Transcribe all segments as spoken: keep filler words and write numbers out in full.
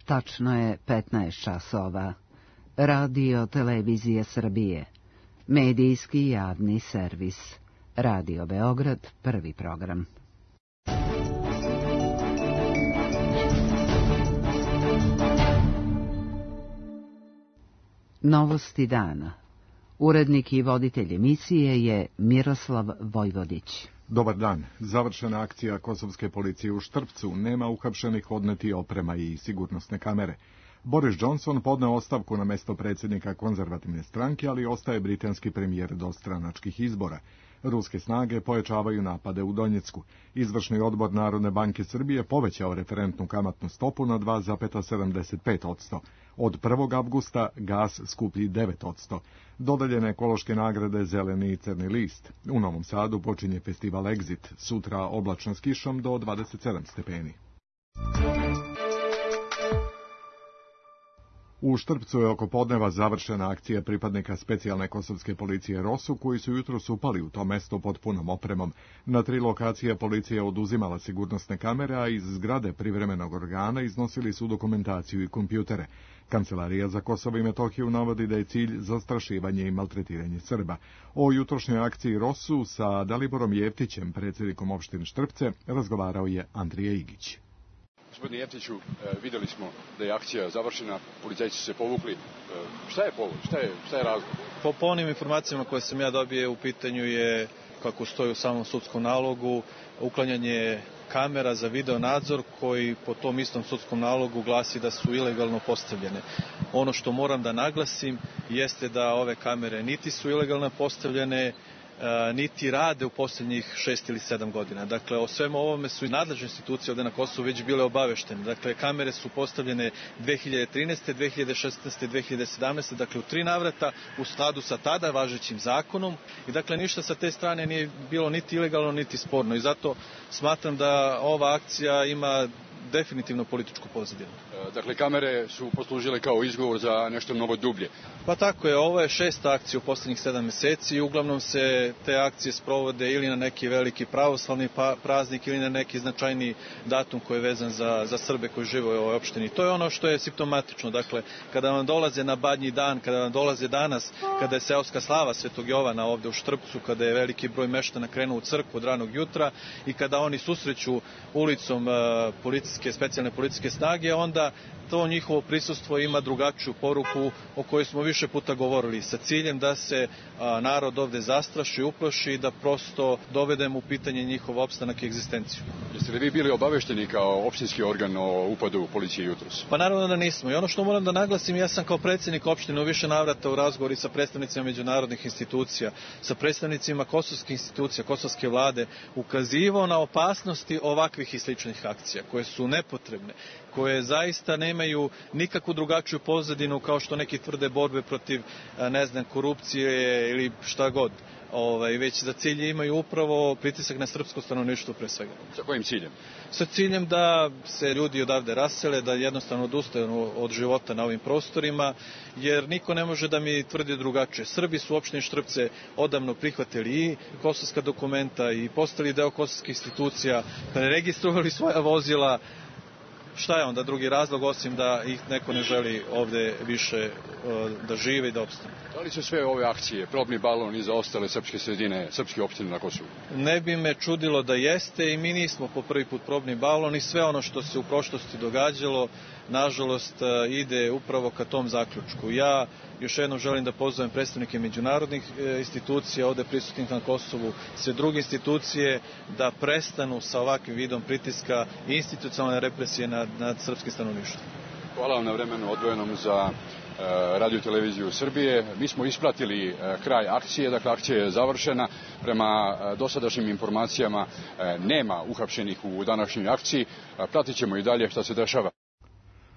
Tačno je petnaest časova. Radio Televizije Srbije. Medijski javni servis. Radio Beograd, prvi program. Novosti dana. Urednik i voditelj emisije je Miroslav Vojvodić. Dobar dan. Završena akcija kosovske policije u Štrpcu, nema uhapšenih, odneti oprema i sigurnosne kamere. Boris Johnson podneo ostavku na mesto predsjednika konzervativne stranke, ali ostaje britanski premijer do stranačkih izbora. Ruske snage pojačavaju napade u Donjecku. Izvršni odbor Narodne banke Srbije povećao referentnu kamatnu stopu na dva zarez sedamdeset pet posto. Od prvog avgusta gas skuplji devet posto. Dodaljene ekološke nagrade Zeleni i Crni list. U Novom Sadu počinje festival Exit, sutra oblačno s kišom do dvadeset sedam stepeni. U Štrpcu je oko podneva završena akcija pripadnika specijalne kosovske policije Rosu, koji su jutros upali u to mesto pod punom opremom. Na tri lokacije policija oduzimala sigurnosne kamere, a iz zgrade privremenog organa iznosili su dokumentaciju i kompjutere. Kancelarija za Kosovo i Metohiju navodi da je cilj zastrašivanje i maltretiranje Srba. O jutrošnjoj akciji Rosu sa Daliborom Jeftićem, predsjednikom opštine Štrpce, razgovarao je Andrija Igić. Gospodine Jeftiću, vidjeli smo da je akcija završena, policajci su se povukli. Šta je povod? Šta je, šta je razlog? Po, po onim informacijama koje sam ja dobio, u pitanju je, kako stoji u samom sudskom nalogu, uklanjanje kamera za video nadzor koji po tom istom sudskom nalogu glasi da su ilegalno postavljene. Ono što moram da naglasim jeste da ove kamere niti su ilegalno postavljene, niti rade u posljednjih šest ili sedam godina. Dakle, o svemu ovome su i nadležne institucije ovdje na Kosovu već bile obaveštene. Dakle, kamere su postavljene dve hiljade trinaeste, dve hiljade šesnaeste, dve hiljade sedamnaeste. Dakle, u tri navrata u skladu sa tada važećim zakonom. I dakle, ništa sa te strane nije bilo niti ilegalno, niti sporno. I zato smatram da ova akcija ima definitivno političku pozadinu. Dakle, kamere su poslužile kao izgovor za nešto mnogo dublje. Pa tako je, ovo je šesta akcija u posljednjih sedam mjeseci i uglavnom se te akcije sprovode ili na neki veliki pravoslavni praznik ili na neki značajni datum koji je vezan za, za Srbe koji žive u ovoj opštini. To je ono što je simptomatično. Dakle, kada vam dolaze na Badnji dan, kada vam dolaze danas, kada je seoska slava Svetog Jovana ovdje u Štrpcu, kada je veliki broj meštana krenuo u crkvu od ranog jutra i kada oni susreću ulicom uh, policijske, specijalne policijske snage, onda to njihovo prisustvo ima drugačiju poruku o kojoj smo više puta govorili, sa ciljem da se a, narod ovdje zastraši, uplaši i da prosto dovedemo u pitanje njihov opstanak i egzistenciju. Jeste li vi bili obavešteni kao opštinski organ o upadu policije jutros? Pa naravno da nismo. I ono što moram da naglasim, ja sam kao predsjednik opštine u više navrata u razgovori sa predstavnicima međunarodnih institucija, sa predstavnicima kosovskih institucija, kosovske vlade, ukazivao na opasnosti ovakvih i sličnih akcija, koje su nepotrebne, koje zaista nemaju nikakvu drugačiju pozadinu kao što neki tvrde borbe protiv, ne znam, korupcije ili šta god. Ovaj, već za cilj imaju upravo pritisak na srpsko stanovništvo pre svega. Sa kojim ciljem? Sa ciljem da se ljudi odavde rasele, da jednostavno odustaju od života na ovim prostorima, jer niko ne može da mi tvrdi drugačije. Srbi su u opštini Štrpce odavno prihvatili i kosovska dokumenta i postali deo kosovskih institucija, preregistrovali svoja vozila. Šta je onda drugi razlog osim da ih neko ne želi ovdje više da žive i da opstane? Da li su sve ove akcije probni balon i za ostale srpske sredine, srpske opštine na Kosovu? Ne bi me čudilo da jeste i mi nismo po prvi put probni balon i sve ono što se u prošlosti događalo, nažalost, ide upravo ka tom zaključku. Ja još jednom želim da pozovem predstavnike međunarodnih institucija ovdje prisutnih na Kosovu, sve druge institucije da prestanu sa ovakvim vidom pritiska i institucionalne represije nad, nad srpskim stanovništvom. Hvala vam na vremenu odvojenom za Radio Televiziju Srbije. Mi smo ispratili kraj akcije, dakle akcija je završena. Prema dosadašnjim informacijama nema uhapšenih u današnjoj akciji. Pratit ćemo i dalje šta se dešava.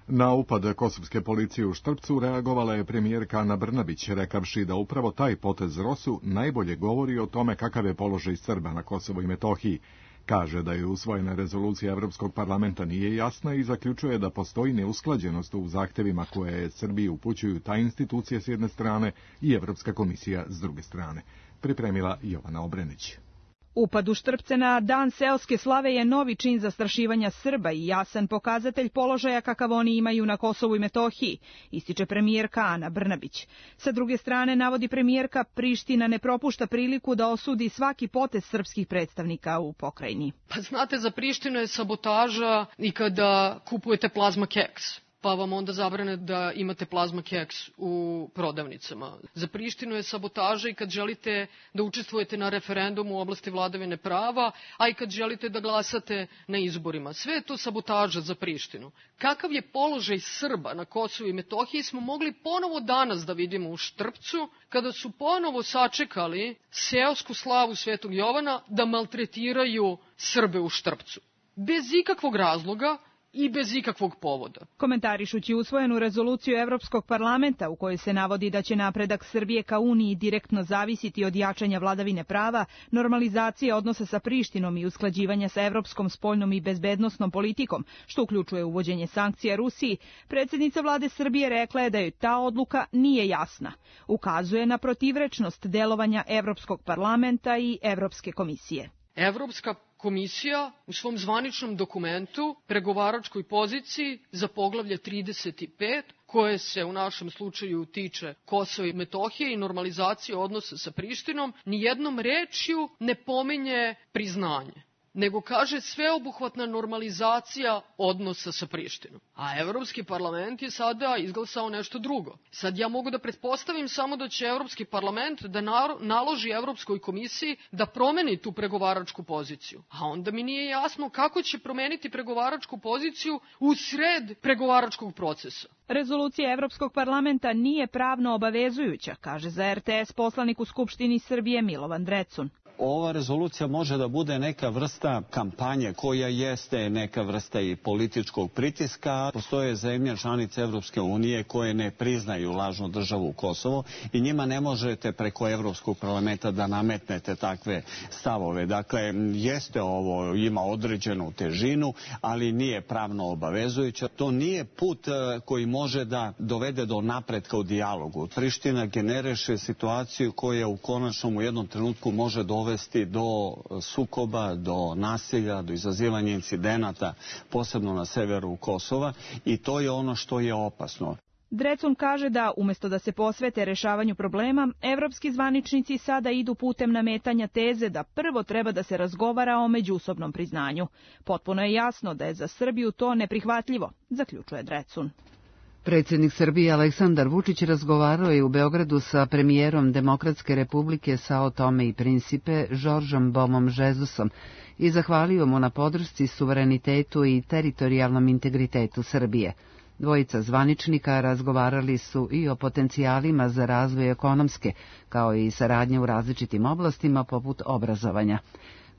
Na upad kosovske policije u Štrpcu reagovala je premijerka Ana Brnabić, rekavši da upravo taj potez Rosu najbolje govori o tome kakav je položaj Srba na Kosovu i Metohiji. Kaže da je usvojena rezolucija Evropskog parlamenta nije jasna i zaključuje da postoji neusklađenost u zahtevima koje Srbiji upućuju ta institucije s jedne strane i Evropska komisija s druge strane. Pripremila Jovana Obrenić. Upad u Štrpce na dan seoske slave je novi čin zastrašivanja Srba i jasan pokazatelj položaja kakav oni imaju na Kosovu i Metohiji, ističe premijerka Ana Brnabić. Sa druge strane, navodi premijerka, Priština ne propušta priliku da osudi svaki potez srpskih predstavnika u pokrajini. Pa znate, za Prištinu je sabotaža i kada kupujete plazma keks, pa vam onda zabrane da imate plazma keks u prodavnicama. Za Prištinu je sabotaža i kad želite da učestvujete na referendumu u oblasti vladavine prava, a i kad želite da glasate na izborima. Sve je to sabotaža za Prištinu. Kakav je položaj Srba na Kosovu i Metohiji smo mogli ponovo danas da vidimo u Štrpcu, kada su ponovo sačekali seosku slavu Svetog Jovana da maltretiraju Srbe u Štrpcu. Bez ikakvog razloga i bez ikakvog povoda. Komentarišući usvojenu rezoluciju Evropskog parlamenta u kojoj se navodi da će napredak Srbije ka Uniji direktno zavisiti od jačanja vladavine prava, normalizacije odnosa sa Prištinom i usklađivanja sa evropskom spoljnom i bezbednosnom politikom, što uključuje uvođenje sankcija Rusiji, predsjednica vlade Srbije rekla je da joj ta odluka nije jasna. Ukazuje na protivrečnost delovanja Evropskog parlamenta i Evropske komisije. Evropska komisija u svom zvaničnom dokumentu, pregovaračkoj poziciji za poglavlje trideset pet, koje se u našem slučaju tiče Kosova i Metohije i normalizacije odnosa sa Prištinom, nijednom rečju ne pominje priznanje, nego kaže sveobuhvatna normalizacija odnosa sa Prištinom. A Evropski parlament je sada izglasao nešto drugo. Sad ja mogu da pretpostavim samo da će Evropski parlament da naloži Evropskoj komisiji da promeni tu pregovaračku poziciju. A onda mi nije jasno kako će promeniti pregovaračku poziciju u sred pregovaračkog procesa. Rezolucija Evropskog parlamenta nije pravno obavezujuća, kaže za er te es poslanik u Skupštini Srbije Milovan Drecun. Ova rezolucija može da bude neka vrsta kampanje koja jeste neka vrsta i političkog pritiska. Postoje zemlje članice Evropske unije koje ne priznaju lažnu državu Kosovo i njima ne možete preko Evropskog parlamenta da nametnete takve stavove. Dakle, jeste ovo, ima određenu težinu, ali nije pravno obavezujuća. To nije put koji može da dovede do napretka u dijalogu. Priština generiše situaciju koja u konačnom u jednom trenutku može dovesti do sukoba, do nasilja, do izazivanja incidenata, posebno na severu Kosova, i to je ono što je opasno. Drecun kaže da, umjesto da se posvete rešavanju problema, evropski zvaničnici sada idu putem nametanja teze da prvo treba da se razgovara o međusobnom priznanju. Potpuno je jasno da je za Srbiju to neprihvatljivo, zaključuje Drecun. Predsjednik Srbije Aleksandar Vučić razgovarao je u Beogradu sa premijerom Demokratske republike Sao Tome i Principe Žoržom Bomom Žezusom i zahvalio mu na podršci suverenitetu i teritorijalnom integritetu Srbije. Dvojica zvaničnika razgovarali su i o potencijalima za razvoj ekonomske, kao i saradnje u različitim oblastima poput obrazovanja.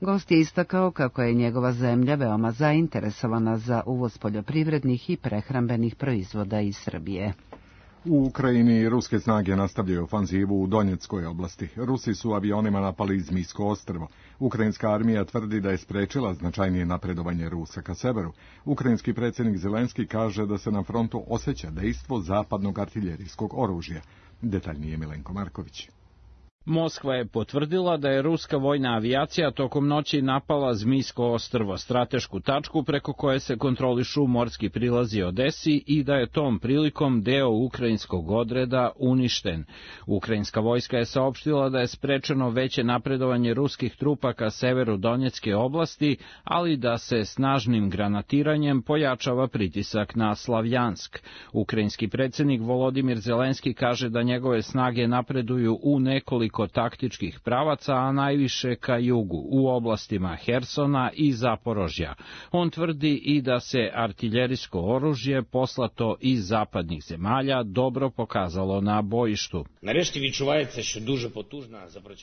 Gost je istakao kako je njegova zemlja veoma zainteresovana za uvoz poljoprivrednih i prehrambenih proizvoda iz Srbije. U Ukrajini ruske snage nastavljaju ofanzivu u Donjeckoj oblasti. Rusi su avionima napali Zmijsko ostrvo. Ukrajinska armija tvrdi da je sprečila značajnije napredovanje Rusa ka severu. Ukrajinski predsjednik Zelenski kaže da se na frontu osjeća dejstvo zapadnog artiljerijskog oružja. Detaljnije Milenko Marković. Moskva je potvrdila da je ruska vojna avijacija tokom noći napala Zmijsko ostrvo, stratešku tačku preko koje se kontrolišu morski prilazi Odesi, i da je tom prilikom deo ukrajinskog odreda uništen. Ukrajinska vojska je saopštila da je sprečeno veće napredovanje ruskih trupa ka severu Donjecke oblasti, ali da se snažnim granatiranjem pojačava pritisak na Slavjansk. Ukrajinski predsjednik Volodimir Zelenski kaže da njegove snage napreduju u nekoliko taktičkih pravaca, a najviše ka jugu, u oblastima Hersona i Zaporožja. On tvrdi i da se artiljerijsko oružje poslato iz zapadnih zemalja dobro pokazalo na bojištu.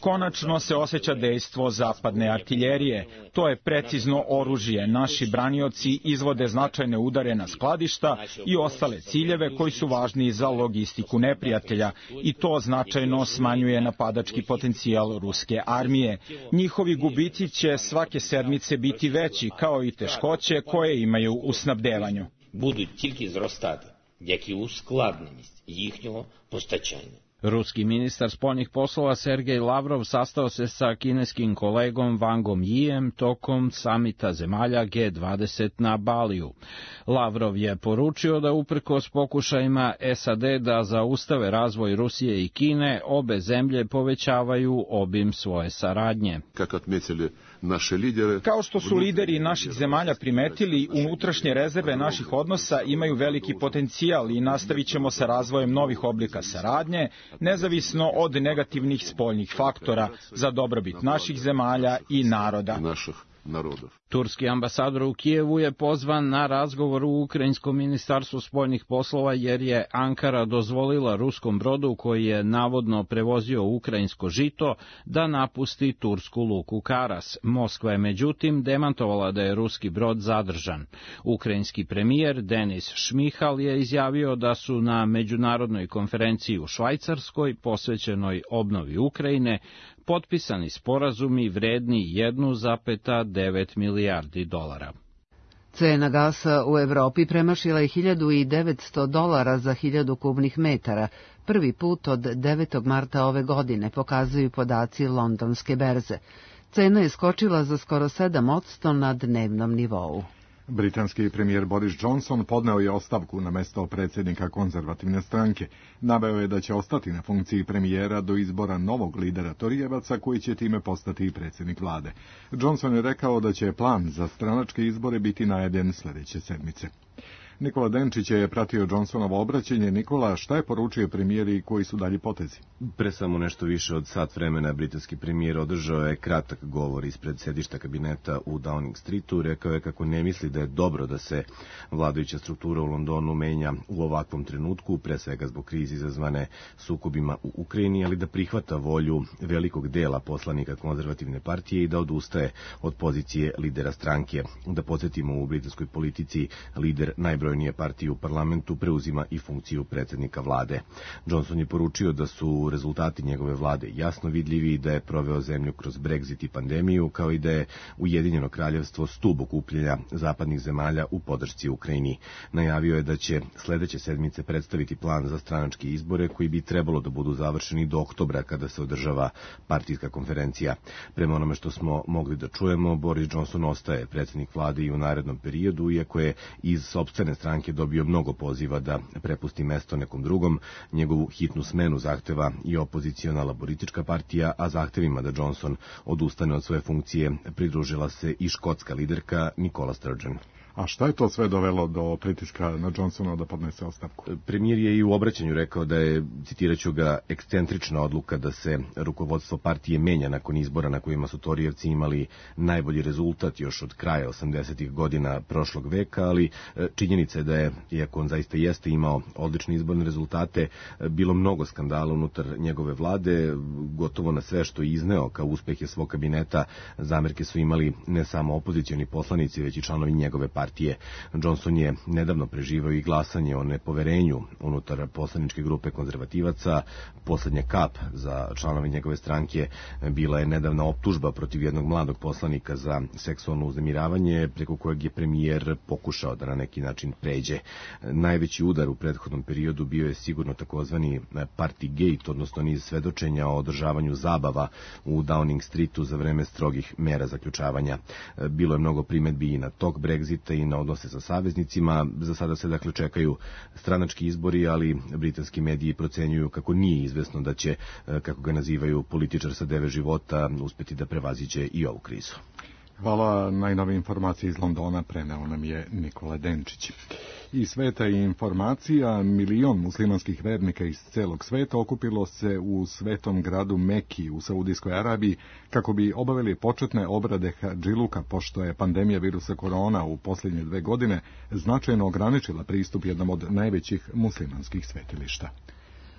Konačno se osjeća dejstvo zapadne artiljerije. To je precizno oružje. Naši branioci izvode značajne udare na skladišta i ostale ciljeve koji su važni za logistiku neprijatelja, i to značajno smanjuje napadački potencijal ruske armije. Njihovi gubici će svake sedmice biti veći, kao i teškoće koje imaju u snabdevanju. Будуть тільки зростати, як і ускладненість їхнього постачання. Ruski ministar spoljnih poslova Sergej Lavrov sastao se sa kineskim kolegom Wangom Yijem tokom samita zemalja G dvadeset na Baliju. Lavrov je poručio da uprkos pokušajima S A D da zaustave razvoj Rusije i Kine, obe zemlje povećavaju obim svoje saradnje. Kao što su lideri naših zemalja primetili, unutrašnje rezerve naših odnosa imaju veliki potencijal i nastavit ćemo sa razvojem novih oblika saradnje, nezavisno od negativnih spoljnih faktora, za dobrobit naših zemalja i naroda. Turski ambasador u Kijevu je pozvan na razgovor u Ukrajinskom ministarstvu spoljnih poslova jer je Ankara dozvolila ruskom brodu koji je navodno prevozio ukrajinsko žito da napusti tursku luku Karas. Moskva je međutim demantovala da je ruski brod zadržan. Ukrajinski premijer Denis Šmihal je izjavio da su na međunarodnoj konferenciji u Švajcarskoj posvećenoj obnovi Ukrajine potpisani sporazumi vredni jedan zarez devet milijardi dolara. Cena gasa u Evropi premašila je hiljadu devetsto dolara za hiljadu kubnih metara, prvi put od devetog marta ove godine, pokazuju podaci londonske berze. Cena je skočila za skoro sedam posto na dnevnom nivou. Britanski premijer Boris Johnson podneo je ostavku na mesto predsjednika konzervativne stranke. Naveo je da će ostati na funkciji premijera do izbora novog lidera Torijevaca koji će time postati i predsjednik vlade. Johnson je rekao da će plan za stranačke izbore biti najavljen sljedeće sedmice. Nikola Denčić je pratio Johnsonovo obraćanje. Nikola, šta je poručio premijeri i koji su dalji potezi? Pre samo nešto više od sat vremena britanski premijer održao je kratak govor ispred sedišta kabineta u Downing Streetu. Rekao je kako ne misli da je dobro da se vladajuća struktura u Londonu menja u ovakvom trenutku, pre svega zbog krize izazvane sukobima u Ukrajini, ali da prihvata volju velikog dela poslanika konzervativne partije i da odustaje od pozicije lidera stranke. Da podsjetimo, u britanskoj politici lider najbrojnije partije u parlamentu preuzima i funkciju predsjednika vlade. Johnson je poručio da su rezultati njegove vlade jasno vidljivi i da je proveo zemlju kroz Brexit i pandemiju, kao i da je Ujedinjeno kraljevstvo stub okupljanja zapadnih zemalja u podršci Ukrajini. Najavio je da će sledeće sedmice predstaviti plan za stranačke izbore koji bi trebalo da budu završeni do oktobra kada se održava partijska konferencija. Prema onome što smo mogli da čujemo, Boris Johnson ostaje predsjednik vlade i u narednom periodu, iako je iz sopstvene stranke dobio mnogo poziva da prepusti mesto nekom drugom. Njegovu hitnu smenu zahteva i opoziciona laboristička partija, a zahtevima da Johnson odustane od svoje funkcije pridružila se i škotska liderka Nicola Sturgeon. A šta je to sve dovelo do pritiska na Johnsona da podnese ostavku? Premijer je i u obraćanju rekao da je, citiraću ga, ekscentrična odluka da se rukovodstvo partije menja nakon izbora na kojima su Torijevci imali najbolji rezultat još od kraja osamdesetih godina prošlog veka, ali činjenica je da je, iako on zaista jeste imao odlične izborne rezultate, bilo mnogo skandala unutar njegove vlade. Gotovo na sve što je izneo kao uspehe svog kabineta zamerke su imali ne samo opozicioni poslanici, već i članovi njegove partije. partije. Johnson je nedavno preživao i glasanje o nepoverenju unutar poslaničke grupe konzervativaca. Poslednja kap za članove njegove stranke bila je nedavna optužba protiv jednog mladog poslanika za seksualno uznemiravanje, preko kojeg je premijer pokušao da na neki način pređe. Najveći udar u prethodnom periodu bio je sigurno takozvani Partygate, odnosno niz svedočenja o održavanju zabava u Downing Streetu za vreme strogih mera zaključavanja. Bilo je mnogo primetbi i na tok Brexita i na odnose sa saveznicima. Za sada se dakle čekaju stranački izbori, ali britanski mediji procenjuju kako nije izvesno da će, kako ga nazivaju, političar sa deve života uspeti da prevaziđe i ovu krizu. Hvala, najnovije informacije iz Londona preneo nam je Nikola Denčić. Iz sveta i informacija, milion muslimanskih vernika iz celog sveta okupilo se u svetom gradu Meki u Saudijskoj Arabiji kako bi obavili početne obrade hadžiluka, pošto je pandemija virusa korona u posljednje dve godine značajno ograničila pristup jednom od najvećih muslimanskih svetilišta.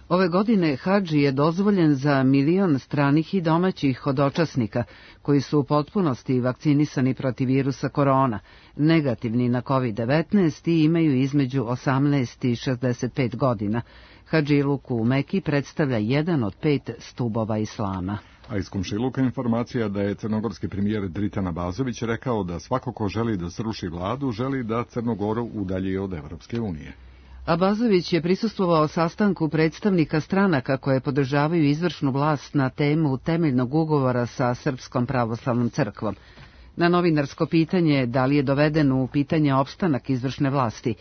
Ove godine hadži je dozvoljen za milion stranih i domaćih hodočasnika koji su u potpunosti vakcinisani protiv virusa korona, negativni na kovid devetnaest i imaju između osamnaest i šezdeset pet godina. Hadžiluk u Meki predstavlja jedan od pet stubova islama. A iz komšiluka informacija da je crnogorski premijer Dritan Abazović rekao da svako ko želi da sruši vladu, želi da Crnogoru udalji od Evropske unije. Abazović je prisustvovao sastanku predstavnika stranaka koje podržavaju izvršnu vlast na temu temeljnog ugovora sa Srpskom pravoslavnom crkvom. Na novinarsko pitanje da li je doveden u pitanje opstanak izvršne vlasti,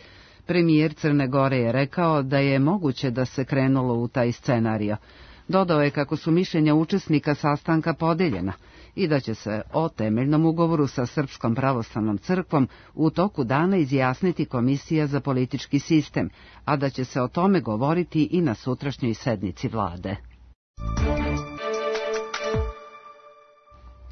premijer Crne Gore je rekao da je moguće da se krenulo u taj scenario. Dodao je kako su mišljenja učesnika sastanka podeljena i da će se o temeljnom ugovoru sa Srpskom pravoslavnom crkvom u toku dana izjasniti Komisija za politički sistem, a da će se o tome govoriti i na sutrašnjoj sednici vlade.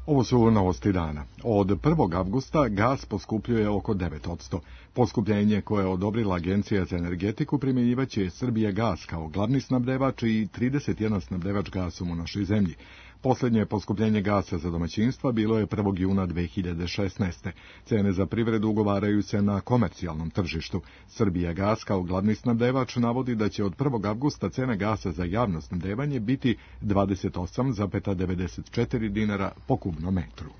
Ovo su novosti dana. Od prvog avgusta gas poskupljuje oko devet posto. Poskupljenje koje je odobrila Agencija za energetiku primjenjivaće Srbijagas kao glavni snabdevač i trideset jedan snabdevač gasom u našoj zemlji. Posljednje poskupljenje gasa za domaćinstva bilo je prvog juna dve hiljade šesnaeste. Cene za privredu ugovaraju se na komercijalnom tržištu. Srbijagas kao glavni snabdevač navodi da će od prvog avgusta cena gasa za javno snabdevanje biti dvadeset osam zarez devedeset četiri dinara po kubnom metru.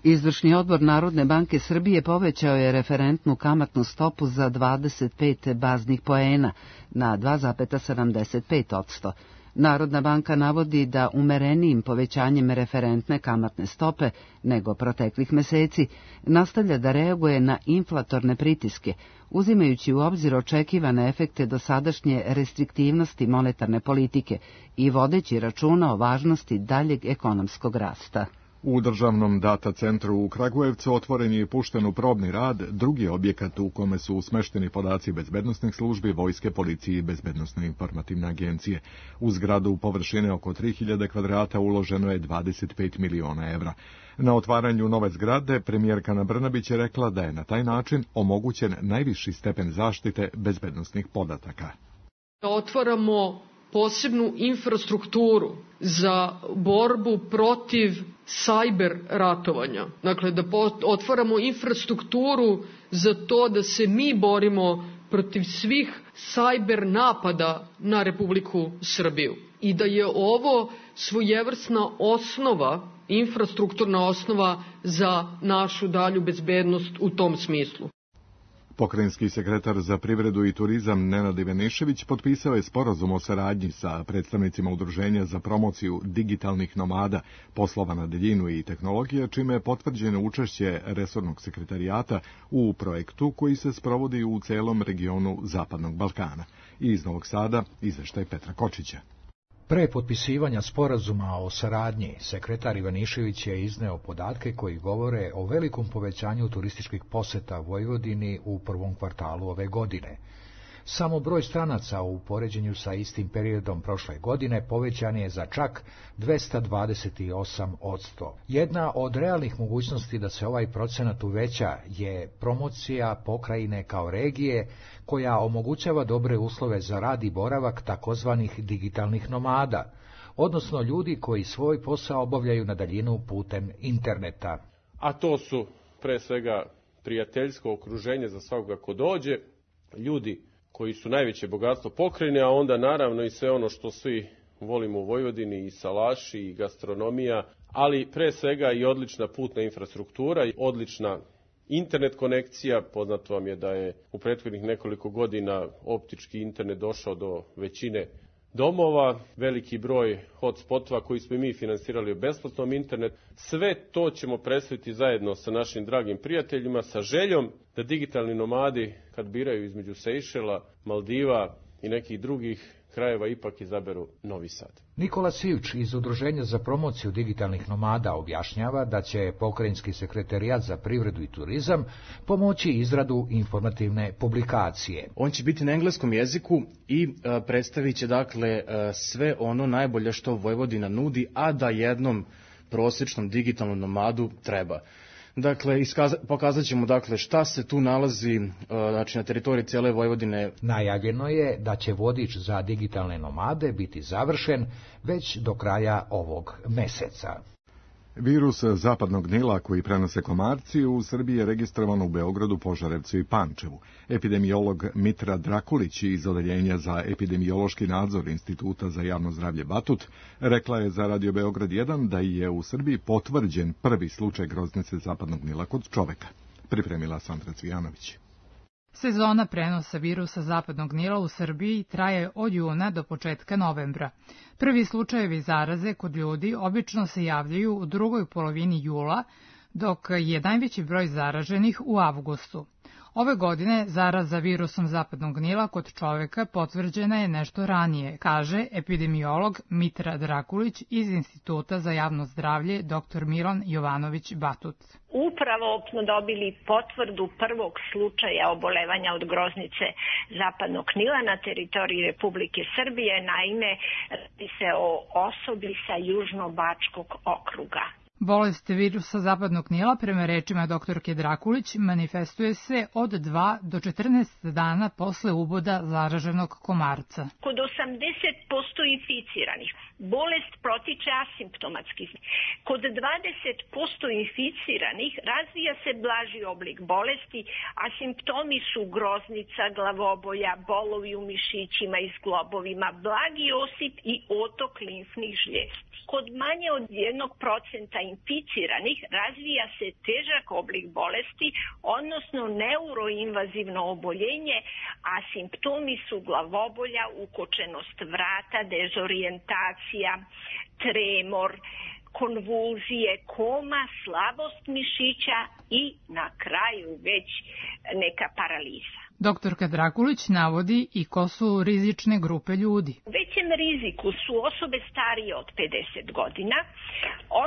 Izvršni odbor Narodne banke Srbije povećao je referentnu kamatnu stopu za dvadeset pet baznih poena na dva zarez sedamdeset pet posto. Narodna banka navodi da umerenijim povećanjem referentne kamatne stope nego proteklih meseci nastavlja da reaguje na inflatorne pritiske, uzimajući u obzir očekivane efekte dosadašnje restriktivnosti monetarne politike i vodeći računa o važnosti daljeg ekonomskog rasta. U državnom data centru u Kragujevcu otvoren je i pušten u probni rad drugi objekat u kome su smešteni podaci bezbednosnih službi, vojske, policije i bezbednosne informativne agencije. U zgradu površine oko tri hiljade kvadrata uloženo je dvadeset pet miliona evra. Na otvaranju nove zgrade premijerka Ana Brnabić je rekla da je na taj način omogućen najviši stepen zaštite bezbednosnih podataka. Otvaramo posebnu infrastrukturu za borbu protiv sajber ratovanja. Dakle, da otvaramo infrastrukturu za to da se mi borimo protiv svih sajber napada na Republiku Srbiju. I da je ovo svojevrsna osnova, infrastrukturna osnova za našu dalju bezbednost u tom smislu. Pokrajinski sekretar za privredu i turizam Nenad Ivanišević potpisao je sporazum o saradnji sa predstavnicima Udruženja za promociju digitalnih nomada, poslova na daljinu i tehnologije, čime je potvrđeno učešće resornog sekretarijata u projektu koji se sprovodi u celom regionu Zapadnog Balkana. I iz Novog Sada izveštaj Petra Kočića. Pre potpisivanja sporazuma o saradnji, sekretar Ivanišević je izneo podatke koji govore o velikom povećanju turističkih poseta Vojvodini u prvom kvartalu ove godine. Samo broj stranaca u poređenju sa istim periodom prošle godine povećan je za čak dvesta dvadeset osam posto. Jedna od realnih mogućnosti da se ovaj procenat uveća je promocija pokrajine kao regije koja omogućava dobre uslove za rad i boravak takozvanih digitalnih nomada, odnosno ljudi koji svoj posao obavljaju na daljinu putem interneta. A to su pre svega prijateljsko okruženje za svakoga ko dođe, ljudi koji su najveće bogatstvo pokrajine, a onda naravno i sve ono što svi volimo u Vojvodini, i salaši, i gastronomija, ali pre svega i odlična putna infrastruktura, i odlična internet konekcija. Poznato vam je da je u prethodnih nekoliko godina optički internet došao do većine domova, veliki broj hotspotova koji smo i mi finansirali u besplatnom internet. Sve to ćemo predstaviti zajedno sa našim dragim prijateljima, sa željom da digitalni nomadi, kad biraju između Sejšela, Maldiva i nekih drugih krajeva, ipak izaberu Novi Sad. Nikola Sivč iz Udruženja za promociju digitalnih nomada objašnjava da će pokrajinski sekretarijat za privredu i turizam pomoći izradu informativne publikacije. On će biti na engleskom jeziku i e, predstavit će dakle e, sve ono najbolje što Vojvodina nudi, a da jednom prosječnom digitalnom nomadu treba. Dakle, iskaza, pokazat ćemo dakle šta se tu nalazi, znači na teritoriji cijele Vojvodine. Najavljeno je da će vodič za digitalne nomade biti završen već do kraja ovog meseca. Virus zapadnog Nila koji prenose komarci u Srbiji je registrovan u Beogradu, Požarevcu i Pančevu. Epidemiolog Mitra Drakulić iz Odeljenja za epidemiološki nadzor Instituta za javno zdravlje Batut rekla je za Radio Beograd jedan da je u Srbiji potvrđen prvi slučaj groznice zapadnog Nila kod čoveka. Pripremila Sandra Cvijanović. Sezona prenosa virusa zapadnog Nila u Srbiji traje od juna do početka novembra. Prvi slučajevi zaraze kod ljudi obično se javljaju u drugoj polovini jula, dok je najveći broj zaraženih u avgustu. Ove godine zaraza virusom zapadnog Nila kod čoveka potvrđena je nešto ranije, kaže epidemiolog Mitra Drakulić iz Instituta za javno zdravlje dr Milan Jovanović Batut. Upravo smo dobili potvrdu prvog slučaja obolevanja od groznice zapadnog Nila na teritoriji Republike Srbije, naime radi se o osobi sa Južnobačkog okruga. Bolest virusa zapadnog Nila, prema rečima doktorke Drakulić, manifestuje se od dva do četrnaest dana posle uboda zaraženog komarca. Kod osamdeset posto inficiranih bolest protiče asimptomatski. Kod dvadeset posto inficiranih razvija se blaži oblik bolesti, a simptomi su groznica, glavobolja, bolovi u mišićima i zglobovima, blagi osip i otok limfnih žljezdi. Kod manje od jednog procenta inficiranih razvija se težak oblik bolesti, odnosno neuroinvazivno oboljenje, a simptomi su glavobolja, ukočenost vrata, dezorijentacija, tremor, konvulzije, koma, slabost mišića i na kraju već neka paraliza. Doktorka Drakulić navodi i ko su rizične grupe ljudi. U većem riziku su osobe starije od pedeset godina,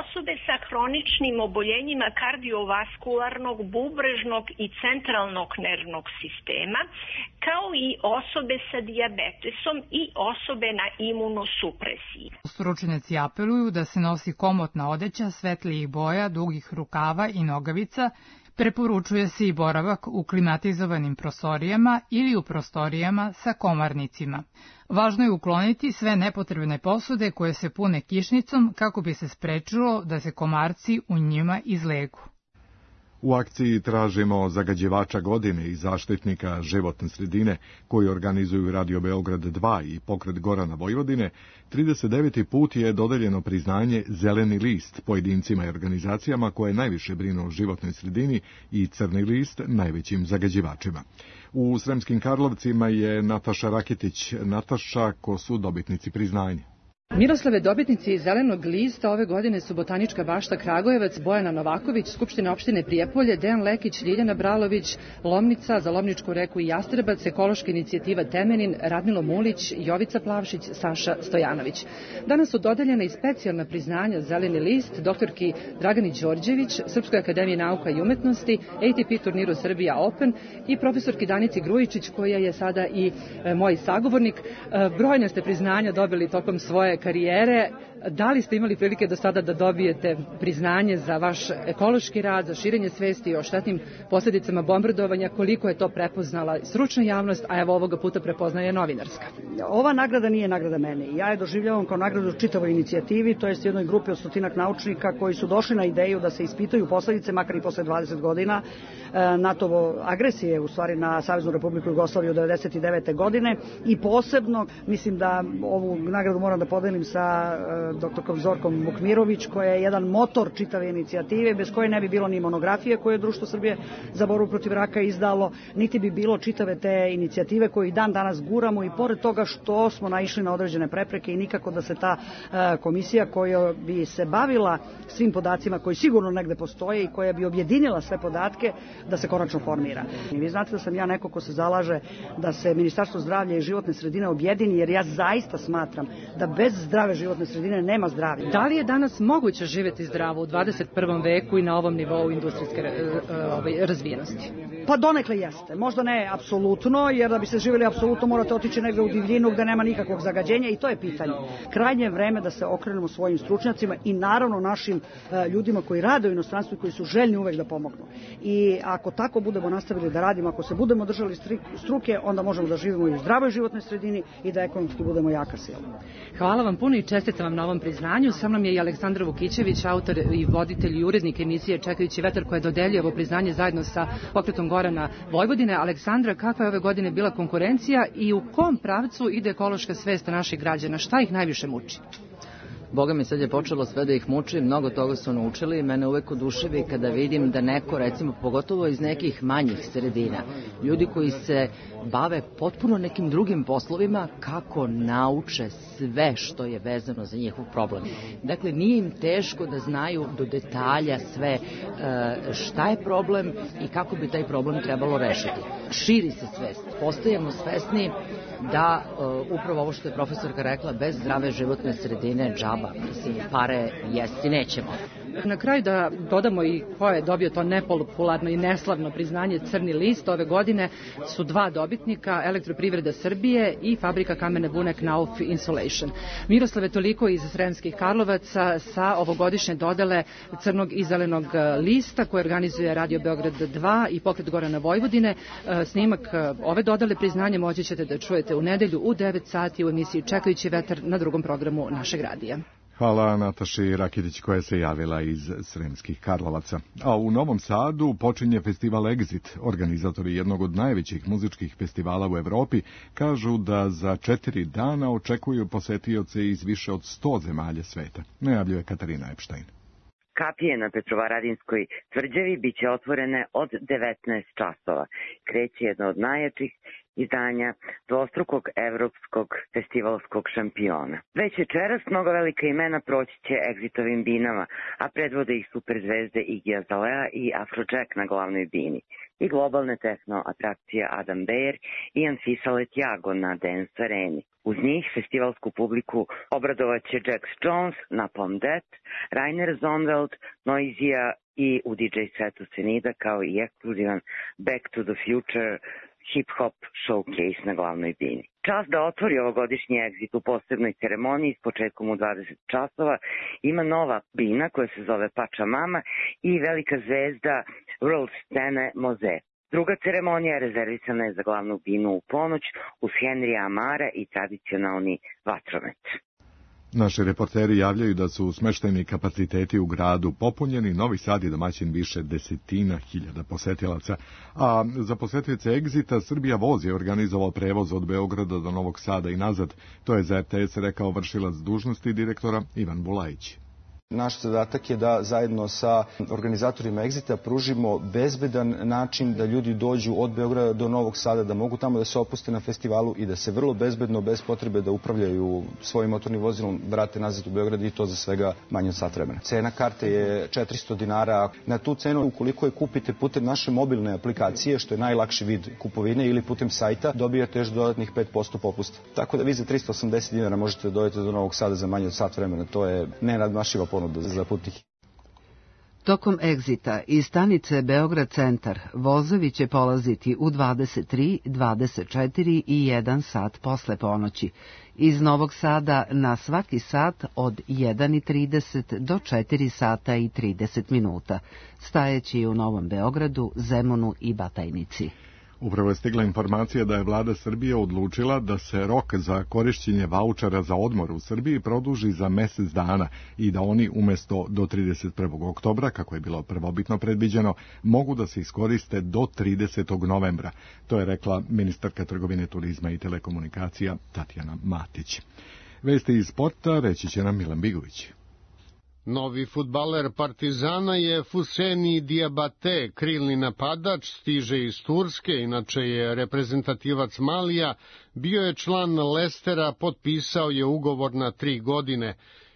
osobe sa hroničnim oboljenjima kardiovaskularnog, bubrežnog i centralnog nervnog sistema, kao i osobe sa dijabetesom i osobe na imunosupresiji. Stručnjaci apeluju da se nosi komotna odeća svetlijih boja, dugih rukava i nogavica. Preporučuje se i boravak u klimatizovanim prostorijama ili u prostorijama sa komarnicima. Važno je ukloniti sve nepotrebne posude koje se pune kišnicom kako bi se sprečilo da se komarci u njima izlegu. U akciji tražimo zagađivača godine i zaštitnika životne sredine koji organizuju Radio Beograd dva i Pokret Gorana Vojvodine. trideset deveti put je dodeljeno priznanje Zeleni list pojedincima i organizacijama koje najviše brinu o životnoj sredini i Crni list najvećim zagađivačima. U Sremskim Karlovcima je Nataša Raketić. Nataša, ko su dobitnici priznanja? Miroslave, dobitnici Zelenog lista ove godine su Botanička bašta Kragujevac, Bojana Novaković, Skupština opštine Prijepolje, Dejan Lekić, Ljiljana Bralović, Lomnica, za Lomničku reku i Jastrebac, Ekološka inicijativa Temenin, Radmilo Mulić, Jovica Plavšić, Saša Stojanović. Danas su dodeljena i specijalna priznanja Zeleni list doktorki Dragani Đorđević, Srpskoj akademiji nauka i umetnosti, A T P turniru Srbija Open i profesorki Danici Grujičić, koja je sada i e, moj sagovornik. E, brojne ste priznanja dobili tokom svoje karijere. Da li ste imali prilike do sada da dobijete priznanje za vaš ekološki rad, za širenje svesti o štetnim posljedicama bombardovanja, koliko je to prepoznala stručna javnost, a evo ovoga puta prepoznaje novinarska? Ova nagrada nije nagrada meni. Ja je doživljavam kao nagradu čitavoj inicijativi, to jest jednoj grupi od stotinak naučnika koji su došli na ideju da se ispitaju posledice, makar i posle dvadeset godina, NATO agresije, u stvari na Saveznu Republiku Jugoslaviju devedeset devete godine, i posebno mislim da ovu nagradu moram da podelim sa doktorkom Zorkom Vukmirović, koja je jedan motor čitave inicijative, bez koje ne bi bilo ni monografije koje je Društvo Srbije za borbu protiv raka izdalo, niti bi bilo čitave te inicijative koje i dan danas guramo, i pored toga što smo naišli na određene prepreke i nikako da se ta komisija koja bi se bavila svim podacima koji sigurno negde postoje i koja bi objedinila sve podatke, da se konačno formira. I vi znate da sam ja neko ko se zalaže da se Ministarstvo zdravlja i životne sredine objedini, jer ja zaista smatram da bez zdrave životne sredine nema zdravlja. Da li je danas moguće živjeti zdravo u dvadeset prvom veku i na ovom nivou industrijske razvijenosti? Pa donekle jeste. Možda ne apsolutno, jer da bi se živjeli apsolutno morate otići negde u divljinu gde nema nikakvog zagađenja, i to je pitanje. Krajnje je vreme da se okrenemo svojim stručnjacima i naravno našim ljudima koji rade u inostranstvu i koji su željni uvek da pomognu. I ako tako budemo nastavili da radimo, ako se budemo držali struke, onda možemo da živimo i u zdravoj životnoj sredini i da ekonomski budemo jaka sila. Hvala vam puno i čestitam vam na ovom priznanju. Sa mnom je i Aleksandar Vukićević, autor i voditelj i urednik emisije Čekajući vetar, koja dodeljuje ovo priznanje zajedno sa Pokretom Gorana Vojvodine. Aleksandra, kakva je ove godine bila konkurencija i u kom pravcu ide ekološka svest naših građana? Šta ih najviše muči? Boga mi sad je počelo sve da ih muči, mnogo toga su naučili. Mene uvek oduševi kada vidim da neko, recimo, pogotovo iz nekih manjih sredina, ljudi koji se bave potpuno nekim drugim poslovima, kako nauče sve što je vezano za njihov problem. Dakle, nije im teško da znaju do detalja sve šta je problem i kako bi taj problem trebalo rešiti. Širi se svest, postajemo svesni da upravo ovo što je profesorka rekla, bez zdrave životne sredine džaba, mislim, pare jesti nećemo. Na kraju da dodamo i ko je dobio to nepopularno i neslavno priznanje Crni list. Ove godine su dva dobitnika, Elektroprivreda Srbije i fabrika kamene vune Knauf Insulation. Miroslave, toliko iz Sremskih Karlovaca sa ovogodišnje dodele Crnog i Zelenog lista koje organizuje Radio Beograd dva i Pokret Gorana Vojvodine. Snimak ove dodele priznanja moći ćete da čujete u nedelju u devet sati u emisiji Čekajući vetar na drugom programu našeg radija. Hvala Nataši Rakitić koja se javila iz Sremskih Karlovaca. A u Novom Sadu počinje festival Exit. Organizatori jednog od najvećih muzičkih festivala u Evropi kažu da za četiri dana očekuju posetioce iz više od sto zemalja sveta. Najavljuje Katarina Epštajn. Kapije na Petrovaradinskoj tvrđavi biće otvorene od devetnaest časova. Kreće jedno od najjačih izdanja dvostrukog evropskog festivalskog šampiona. Već večeras mnogo velika imena proći će Exitovim binama, a predvode ih superzvezde Iggy Azalea i Afrojack na glavnoj bini i globalne tehno atrakcije Adam Beyer i Anfisa Letjago na Dance Areni. Uz njih festivalsku publiku obradovaće Jax Jones, Napalm Death, Rainer Zonveld, Noizija i u D J setu Senida kao i ekskluzivan Back to the Future hip-hop showcase na glavnoj bini. Čast da otvori ovogodišnji Exit u posebnoj ceremoniji s početkom u dvadeset časova ima nova bina koja se zove Pača Mama i velika zvezda world scene Moze. Druga ceremonija rezervisana je za glavnu binu u ponoć uz Henrya Amara i tradicionalni vatromet. Naši reporteri javljaju da su smeštajni kapaciteti u gradu popunjeni, Novi Sad je domaćin više desetina hiljada posetilaca, a za posetioce Exita Srbija voz je organizovao prevoz od Beograda do Novog Sada i nazad. To je za R T S rekao vršilac dužnosti direktora Ivan Bulajić. Naš zadatak je da zajedno sa organizatorima Exita pružimo bezbedan način da ljudi dođu od Beograda do Novog Sada, da mogu tamo da se opuste na festivalu i da se vrlo bezbedno, bez potrebe da upravljaju svojim motornim vozilom, vrate nazad u Beograd i to za svega manje od sat vremena. Cena karte je četiristo dinara. Na tu cenu, ukoliko je kupite putem naše mobilne aplikacije, što je najlakši vid kupovine, ili putem sajta, dobijate još dodatnih pet posto popusta. Tako da vi za tristo osamdeset dinara možete da dođete do Novog Sada za manje od sat vremena. To je nenadmašiva ponuda za putnike. Tokom Exita iz stanice Beograd centar vozovi će polaziti u dvadeset tri, dvadeset četiri i jedan sat posle ponoći. Iz Novog Sada na svaki sat od jedan i trideset do četiri sata i trideset minuta, stajeći u Novom Beogradu, Zemunu i Batajnici. Upravo je stigla informacija da je vlada Srbije odlučila da se rok za korišćenje vaučera za odmor u Srbiji produži za mesec dana i da oni umesto do trideset prvog oktobra, kako je bilo prvobitno predviđeno, mogu da se iskoriste do tridesetog novembra. To je rekla ministarka trgovine, turizma i telekomunikacija Tatjana Matić. Vesti iz sporta reći će nam Milan Bigović. Novi fudbaler Partizana je Fuseni Diabate, krilni napadač, stiže iz Turske, inače je reprezentativac Malija, bio je član Lestera, potpisao je ugovor na tri godine.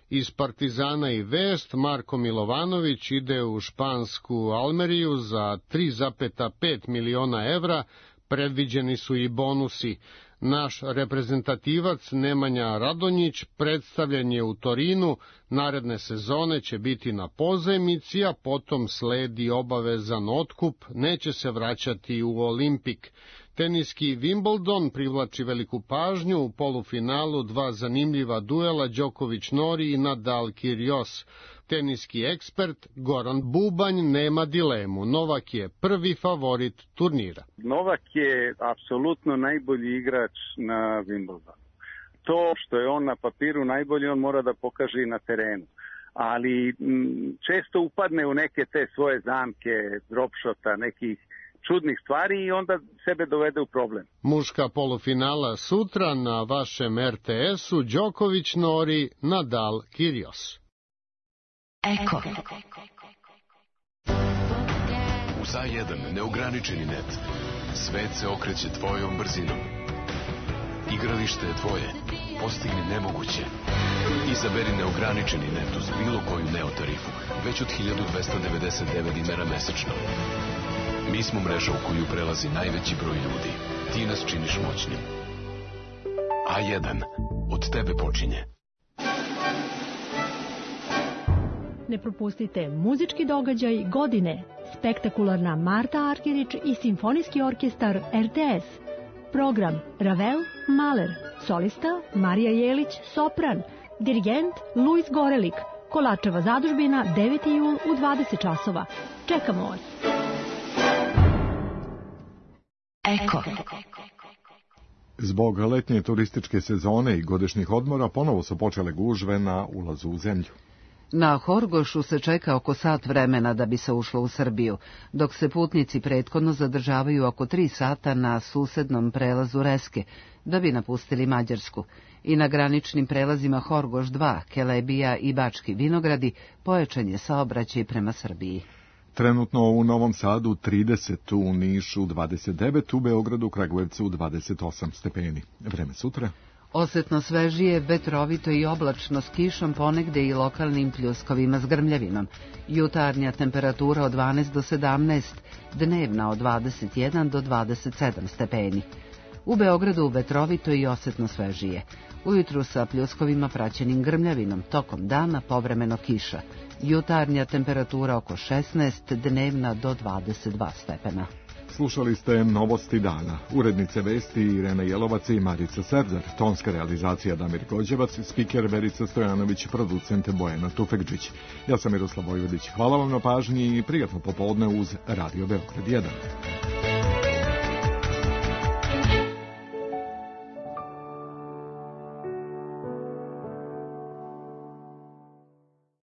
Iz Partizana i vest, Marko Milovanović ide u špansku Almeriju za tri zarez pet miliona evra, predviđeni su i bonusi. Naš reprezentativac Nemanja Radonjić predstavljen je u Torinu, naredne sezone će biti na pozajmici, a potom sledi obavezan otkup, neće se vraćati u Olimpik. Teniski Wimbledon privlači veliku pažnju, u polufinalu dva zanimljiva duela Đoković-Nori i Nadal-Kyrgios. Teniski ekspert Goran Bubanj nema dilemu, Novak je prvi favorit turnira. Novak je apsolutno najbolji igrač na Wimbledonu. To što je on na papiru najbolji, on mora da pokaže i na terenu. Ali m, često upadne u neke te svoje zamke, dropshota, nekih čudnih stvari i onda sebe dovede u problem. Muška polufinala sutra na vašem er te esu, Đoković Nori, Nadal Kyrgios. Eko. Uz A jedan neograničeni net. Svet se okreće tvojom brzinom. Igralište je tvoje. Postigni nemoguće. Izaberi neograničeni net uz bilo koju Neo tarifu. Već od hiljadu dvesta devedeset devet dinara mesečno. Mi smo mreža u koju prelazi najveći broj ljudi. Ti nas činiš moćnim. A jedan. Od tebe počinje. Ne propustite muzički događaj godine. Spektakularna Marta Arkerić i Simfonijski orkestar er te es. Program Ravel, Mahler. Solista Marija Jelić, sopran. Dirigent Luis Gorelik. Kolačeva zadužbina deveti jul u dvadeset časova. Čekamo vas. Eko. Zbog letnje turističke sezone i godišnjih odmora ponovo su počele gužve na ulazu u zemlju. Na Horgošu se čeka oko sat vremena da bi se ušlo u Srbiju, dok se putnici prethodno zadržavaju oko tri sata na susednom prelazu Reske, da bi napustili Mađarsku. I na graničnim prelazima Horgoš dva, Kelebija i Bački Vinogradi pojačan je saobraćaj prema Srbiji. Trenutno u Novom Sadu trideset, u Nišu dvadeset devet, u Beogradu, Kragujevcu dvadeset osam stepeni. Vreme sutra? Osetno svežije, vetrovito i oblačno s kišom, ponegde i lokalnim pljuskovima s grmljavinom. Jutarnja temperatura od dvanaest do sedamnaest, dnevna od dvadeset jedan do dvadeset sedam stepeni. U Beogradu vetrovito i osetno svežije. Ujutru sa pljuskovima praćenim grmljavinom, tokom dana povremeno kiša. Jutarnja temperatura oko šesnaest, dnevna do dvadeset dva stepena. Slušali ste Novosti dana. Urednice vesti Irena Jelovac i Marica Serzar, tonska realizacija Damir Gođevac, spiker Verica Stojanović, producent Bojana Tufekđić. Ja sam Miroslav Vojvodić. Hvala vam na pažnji i prijatno popodne uz Radio Beograd jedan.